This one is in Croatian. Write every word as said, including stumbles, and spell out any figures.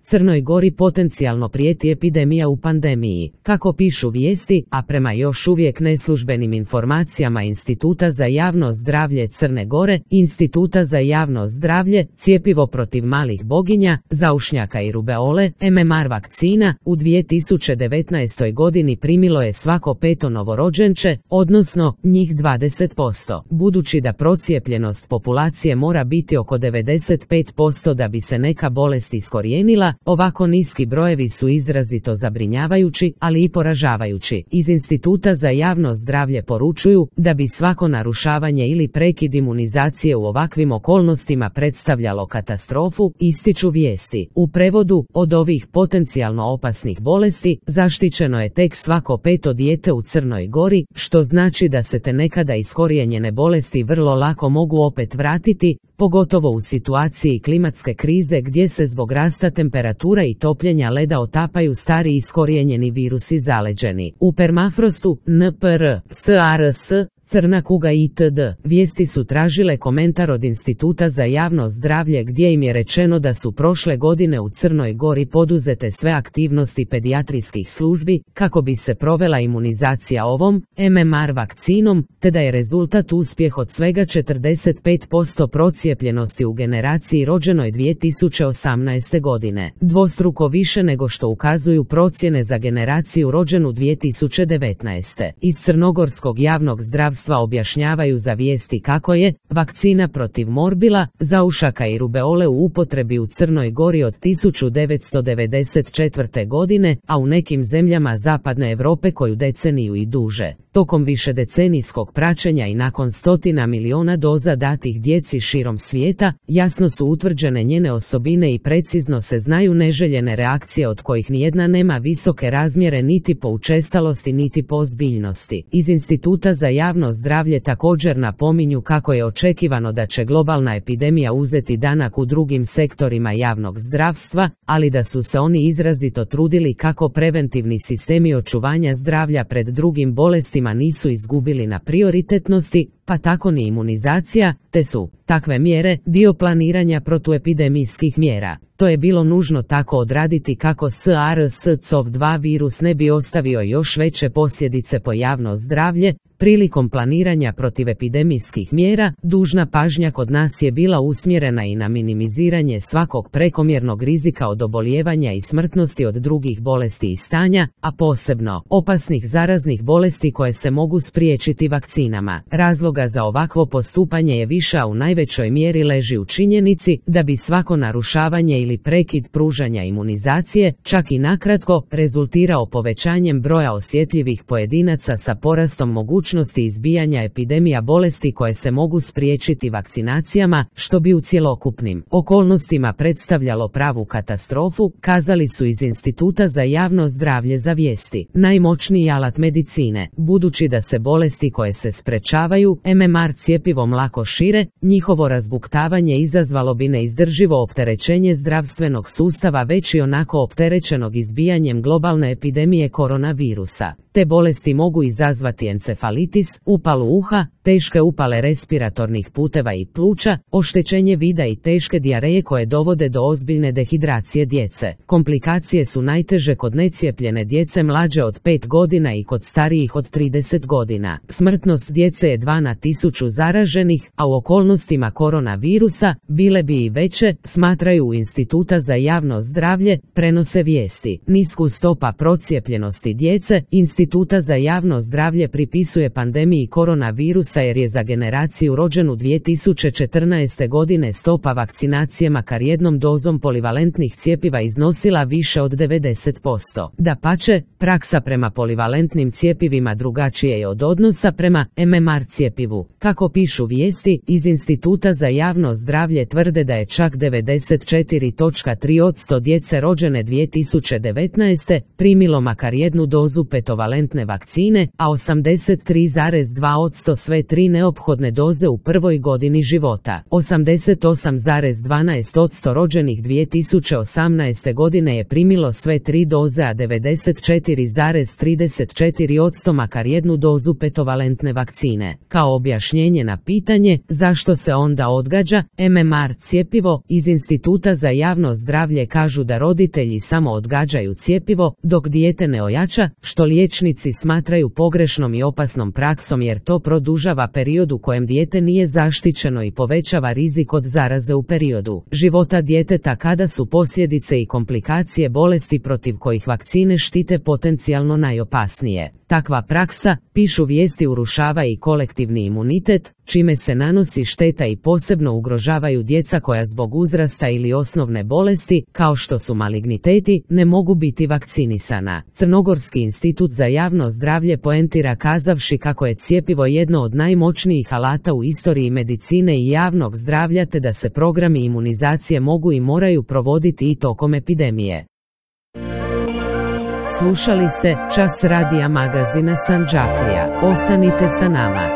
Crnoj Gori potencijalno prijeti epidemija u pandemiji. Kako pišu vijesti, a prema još uvijek neslužbenim informacijama Instituta za javno zdravlje Crne Gore, Instituta za javno zdravlje, cjepivo protiv malih boginja, zaušnjaka i rubeole, M M R vakcina, u dvije tisuće devetnaestoj godini primilo je svako peto novorođenče, odnosno njih dvadeset posto. Budući da procijepljenost populacije mora biti oko devedeset pet posto da bi se neka bolest iskorijenila, ovako niski brojevi su izrazito zabrinjavajući, ali i poražavajući. Iz Instituta za javno zdravlje poručuju da bi svako narušavanje ili prekid imunizacije u ovakvim okolnostima predstavljalo katastrofu, ističu vijesti. U prevodu, od ovih potencijalno opasnih bolesti zaštićeno je tek svako peto dijete u Crnoj Gori, što znači da se te nekada iskorijenjene bolesti vrlo lako mogu opet vratiti, pogotovo u situaciji klimatske krize gdje se zbog rasta temperatura i topljenja leda otapaju stari iskorijenjeni virusi zaleđeni. U permafrostu, N P R, S A R S, crna kuga itd. Vijesti su tražile komentar od Instituta za javno zdravlje gdje im je rečeno da su prošle godine u Crnoj Gori poduzete sve aktivnosti pedijatrijskih službi kako bi se provela imunizacija ovom M M R vakcinom, te da je rezultat uspjeh od svega četrdeset pet posto procijepljenosti u generaciji rođenoj dvije tisuće osamnaeste. godine. Dvostruko više nego što ukazuju procjene za generaciju rođenu dvije tisuće devetnaeste. Iz crnogorskog javnog zdravstva objašnjavaju za vijesti kako je vakcina protiv morbila, zaušaka i rubeole u upotrebi u Crnoj Gori od tisuću devetsto devedeset četvrte. godine, a u nekim zemljama zapadne Europe koju deceniju i duže. Tokom višedecenijskog praćenja i nakon stotina miliona doza datih djeci širom svijeta, jasno su utvrđene njene osobine i precizno se znaju neželjene reakcije od kojih nijedna nema visoke razmjere niti po učestalosti niti po ozbiljnosti. Iz Instituta za javno zdravlje također napominju kako je očekivano da će globalna epidemija uzeti danak u drugim sektorima javnog zdravstva, ali da su se oni izrazito trudili kako preventivni sistemi očuvanja zdravlja pred drugim bolestima nisu izgubili na prioritetnosti, pa tako ni imunizacija, te su takve mjere dio planiranja protuepidemijskih mjera. To je bilo nužno tako odraditi kako S A R S C O V dva virus ne bi ostavio još veće posljedice po javno zdravlje. Prilikom planiranja protivepidemijskih mjera, dužna pažnja kod nas je bila usmjerena i na minimiziranje svakog prekomjernog rizika od obolijevanja i smrtnosti od drugih bolesti i stanja, a posebno opasnih zaraznih bolesti koje se mogu spriječiti vakcinama. Razloga za ovakvo postupanje je više, a u najvećoj mjeri leži u činjenici da bi svako narušavanje ili prekid pružanja imunizacije, čak i nakratko, rezultirao povećanjem broja osjetljivih pojedinaca sa porastom mogućnosti izbijanja epidemija bolesti koje se mogu spriječiti vakcinacijama, što bi u cjelokupnim okolnostima predstavljalo pravu katastrofu, kazali su iz Instituta za javno zdravlje za vijesti. Najmoćniji alat medicine, budući da se bolesti koje se sprečavaju M M R cjepivom lako šire, njihovo razbuktavanje izazvalo bi neizdrživo opterećenje zdravstvenog sustava već i onako opterećenog izbijanjem globalne epidemije koronavirusa. Te bolesti mogu izazvati encefalitis, upalu uha, teške upale respiratornih puteva i pluća, oštećenje vida i teške dijareje koje dovode do ozbiljne dehidracije djece. Komplikacije su najteže kod necijepljene djece mlađe od pet godina i kod starijih od trideset godina. Smrtnost djece je dva na tisuću zaraženih, a u okolnostima koronavirusa bile bi i veće, smatraju u Instituta za javno zdravlje, prenose vijesti. Nisku stopa procijepljenosti djece, Instituta za javno zdravlje pripisuje pandemiji koronavirusa jer je za generaciju rođenu dvije tisuće četrnaeste. godine stopa vakcinacije makar jednom dozom polivalentnih cjepiva iznosila više od devedeset posto. Dapače, praksa prema polivalentnim cjepivima drugačije je od odnosa prema M M R cjepivu. Kako pišu vijesti, iz Instituta za javno zdravlje tvrde da je čak devedeset četiri zarez tri posto djece rođene dvije tisuće devetnaeste. primilo makar jednu dozu petovalentnih petovalentne vakcine, a osamdeset tri zarez dva posto sve tri neophodne doze u prvoj godini života. osamdeset osam zarez dvanaest posto rođenih dvije tisuće osamnaeste. godine je primilo sve tri doze, a devedeset četiri zarez trideset četiri posto makar jednu dozu petovalentne vakcine. Kao objašnjenje na pitanje zašto se onda odgađa M M R cjepivo, iz Instituta za javno zdravlje kažu da roditelji samo odgađaju cjepivo dok dijete ne ojača, što liječnici smatraju pogrešnom i opasnom praksom jer to produžava period u kojem dijete nije zaštićeno i povećava rizik od zaraze u periodu života djeteta kada su posljedice i komplikacije bolesti protiv kojih vakcine štite potencijalno najopasnije. Takva praksa, pišu vijesti, urušava i kolektivni imunitet, čime se nanosi šteta i posebno ugrožavaju djeca koja zbog uzrasta ili osnovne bolesti, kao što su maligniteti, ne mogu biti vakcinisana. Crnogorski institut za javno zdravlje poentira kazavši kako je cjepivo jedno od najmoćnijih alata u istoriji medicine i javnog zdravlja te da se programi imunizacije mogu i moraju provoditi i tokom epidemije. Slušali ste Čas radija magazina Sandžaklija. Ostanite sa nama.